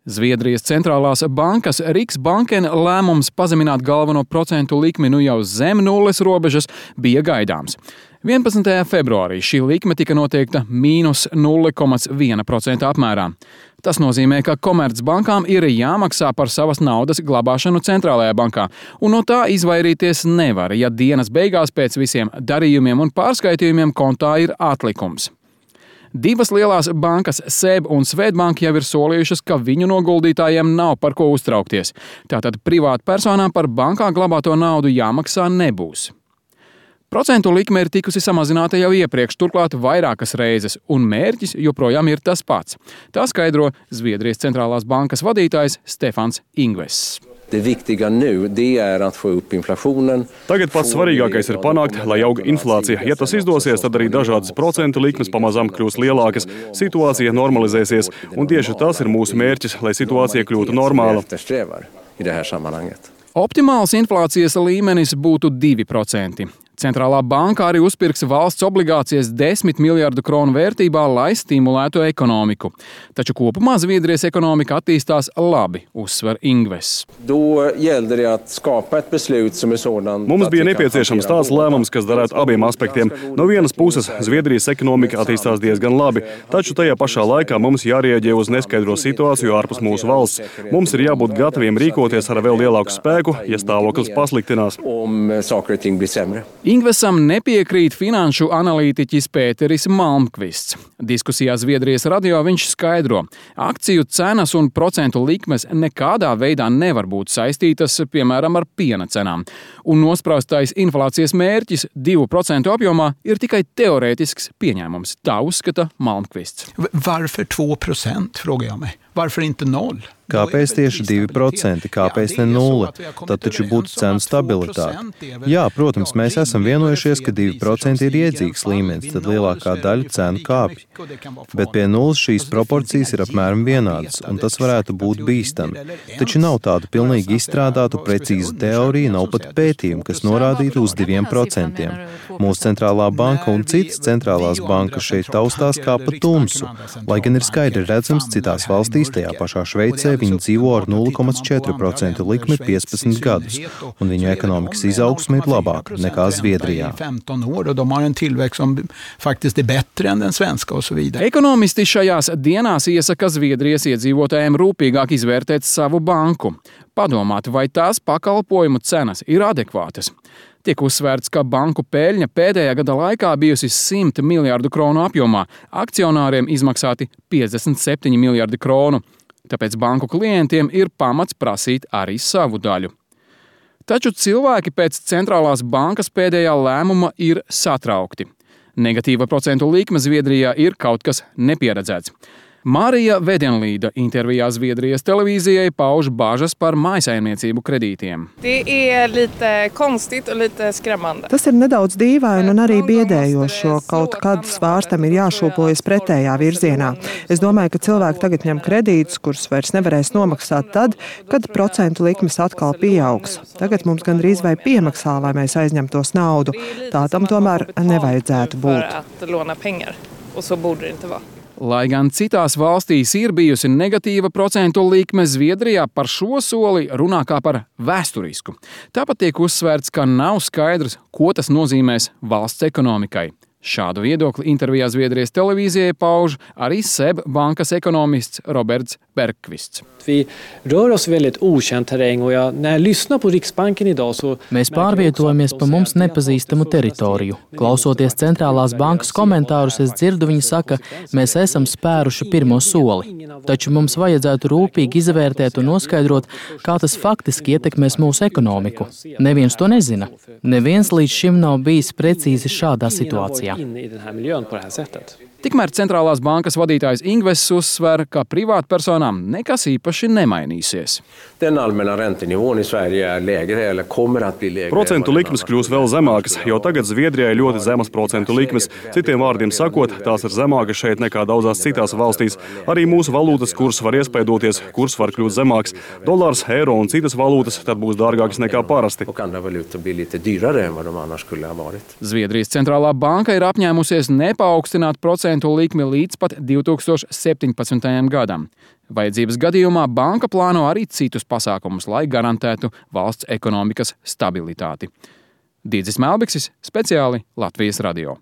Zviedrijas centrālās bankas Riksbanken lēmums pazemināt galveno procentu likmi jau zem nulles robežas bija gaidāms. 11. februārī šī likme tika noteikta mīnus 0,1% apmērā. Tas nozīmē, ka komercbankām ir jāmaksā par savas naudas glabāšanu centrālajā bankā, un no tā izvairīties nevar, ja dienas beigās pēc visiem darījumiem un pārskaitījumiem kontā ir atlikums. Divas lielās bankas, SEB un Swedbank, jau ir solījušas, ka viņu noguldītājiem nav par ko uztraukties. Tātad privātpersonām par bankā glabāto naudu jāmaksā nebūs. Procentu likme ir tikusi samazināta jau iepriekš, turklāt vairākas reizes, un mērķis joprojām ir tas pats. Tā skaidro Zviedrijas centrālās bankas vadītājs Stefans Ingves. Tagad pats svarīgākais ir panākt, lai aug inflācija. Ja tas izdosies, tad arī dažādas procentu likmes pamazām kļūs lielākas, situācija normalizēsies, un tieši tas ir mūsu mērķis, lai situācija kļūtu normāla. Optimāls inflācijas līmenis būtu 2%. Centrālā banka arī uzpirks valsts obligācijas 10 miljardu kronu vērtībā, lai stimulētu ekonomiku. Taču kopumā Zviedrijas ekonomika attīstās labi, uzsver Ingves. Mums bija nepieciešams tāds lēmums, kas derētu abiem aspektiem. No vienas puses, Zviedrijas ekonomika attīstās diezgan labi, taču tajā pašā laikā mums jārieģē uz neskaidro situāciju ārpus mūsu valsts. Mums ir jābūt gataviem rīkoties ar vēl lielāku spēku, ja stāvoklis pasliktinās. Ingvesam nepiekrīt finanšu analītiķis Pēteris Malmkvists. Diskusijā Zviedrijas radio viņš skaidro, akciju cenas un procentu likmes nekādā veidā nevar būt saistītas, piemēram, ar piena cenām. Un nospraustais inflācijas mērķis 2% apjomā ir tikai teorētisks pieņēmums. Tā uzskata Malmkvists. Varför 2%, frågar jag mig? Varför inte 0? Kāpēc tieši 2%, kāpēc ne 0? Tad taču būtu cenu stabilitāte. Jā, protams, mēs esam vienojušies, ka 2% ir iedzīgs līmenis, tad lielākā daļa cenu kāpj. Bet pie nulles šīs proporcijas ir apmēram vienādas, un tas varētu būt bīstami. Taču nav tādu pilnīgi izstrādātu precīzu teoriju, nav pat pētījumu, kas norādītu uz 2%. Mūsu centrālā banka un citas centrālās bankas šeit taustās kā pa tumsu, lai gan ir skaidri redzams citās valstīs, tajā pašā Šveicē, viņi dzīvo ar 0,4% likmi 15 gadus, un viņu ekonomikas izaugsme ir labāka nekā Zviedrijā. Ekonomisti šajās dienās iesaka Zviedrijas iedzīvotājiem rūpīgāk izvērtēt savu banku, padomāt, vai tās pakalpojumu cenas ir adekvātas. Tiek uzsvērts, ka banku peļņa pēdējā gada laikā bijusi 100 miljardu kronu apjomā, akcionāriem izmaksāti 57 miljardi kronu. Tāpēc banku klientiem ir pamats prasīt arī savu daļu. Taču cilvēki pēc centrālās bankas pēdējā lēmuma ir satraukti. Negatīva procentu likme Zviedrijā ir kaut kas nepieredzēts. Marija Vedenlīda intervijā Zviedrijas televīzijai pauž bažas par mājsaimniecību kredītiem. Tas ir nedaudz dīvaini un arī biedējoši, jo kaut kad svārstam ir jāšūpojas pretējā virzienā. Es domāju, ka cilvēki tagad ņem kredītus, kurus vairs nevarēs nomaksāt tad, kad procentu likmes atkal pieaugs. Tagad mums gandrīz vai piemaksā, lai mēs aizņemtos naudu. Tā tam tomēr nevajadzētu būt. Lai gan citās valstīs ir bijusi negatīva procentu likme, Zviedrijā par šo soli runā kā par vēsturisku. Tāpat tiek uzsvērts, ka nav skaidrs, ko tas nozīmēs valsts ekonomikai. Šādu viedokli intervijā Zviedrijas televīzijai pauž arī SEB bankas ekonomists Roberts Bergkvists. Mēs pārvietojamies pa mums nepazīstamu teritoriju. Klausoties centrālās bankas komentārus, es dzirdu, viņi saka, mēs esam spēruši pirmo soli. Taču mums vajadzētu rūpīgi izvērtēt un noskaidrot, kā tas faktiski ietekmēs mūsu ekonomiku. Neviens to nezina. Neviens līdz šim nav bijis precīzi šādā situācijā. Tikmēr centrālās bankas vadītājs Ingves uzsver, ka privātpersonām nekas īpaši nemainīsies. Procentu likmes kļūs vēl zemākas, jo tagad Zviedrijai ļoti zemas procentu likmes. Citiem vārdiem sakot, tās ir zemākas šeit nekā daudzās citās valstīs. Arī mūsu valūtas kurs var iespaidoties, kurs var kļūt zemāks. Dolārs, eiro un citas valūtas tad būs dārgākas nekā parasti. Zviedrijas centrālā banka ir apņēmusies nepaukstināt procentu procentu likmi līdz pat 2017. gadam. Vajadzības gadījumā banka plāno arī citus pasākumus, lai garantētu valsts ekonomikas stabilitāti. Dīdzis Melbiksis, speciāli Latvijas radio.